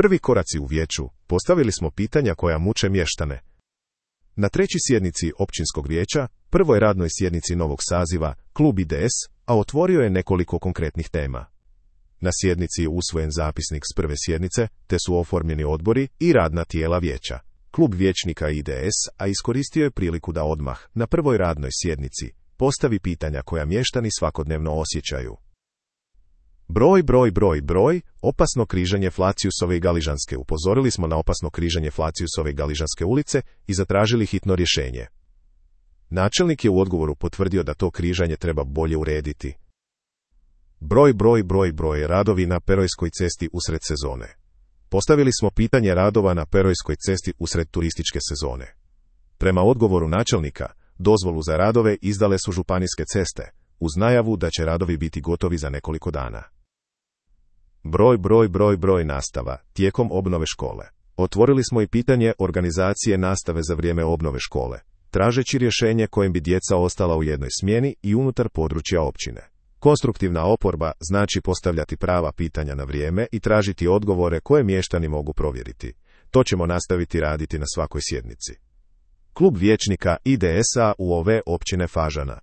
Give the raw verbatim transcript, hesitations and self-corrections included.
Prvi koraci u vijeću, postavili smo pitanja koja muče mještane. Na trećoj sjednici općinskog vijeća, prvoj radnoj sjednici novog saziva, klub I D S, a otvorio je nekoliko konkretnih tema. Na sjednici je usvojen zapisnik s prve sjednice, te su oformljeni odbori i radna tijela vijeća. Klub vijećnika I D S, a iskoristio je priliku da odmah, na prvoj radnoj sjednici, postavi pitanja koja mještani svakodnevno osjećaju. Broj, broj, broj, broj, opasno križanje Flaciusove i Galižanske. Upozorili smo na opasno križanje Flaciusove i Galižanske ulice i zatražili hitno rješenje. Načelnik je u odgovoru potvrdio da to križanje treba bolje urediti. Broj, broj, broj, broj, radovi na Perojskoj cesti usred sezone. Postavili smo pitanje radova na Perojskoj cesti usred turističke sezone. Prema odgovoru načelnika, dozvolu za radove izdale su županijske ceste, uz najavu da će radovi biti gotovi za nekoliko dana. Broj, broj, broj, broj, nastava, tijekom obnove škole. Otvorili smo i pitanje organizacije nastave za vrijeme obnove škole, tražeći rješenje kojim bi djeca ostala u jednoj smjeni i unutar područja općine. Konstruktivna oporba znači postavljati prava pitanja na vrijeme i tražiti odgovore koje mještani mogu provjeriti. To ćemo nastaviti raditi na svakoj sjednici. Klub vijećnika I D S-a u ove općine Fažana.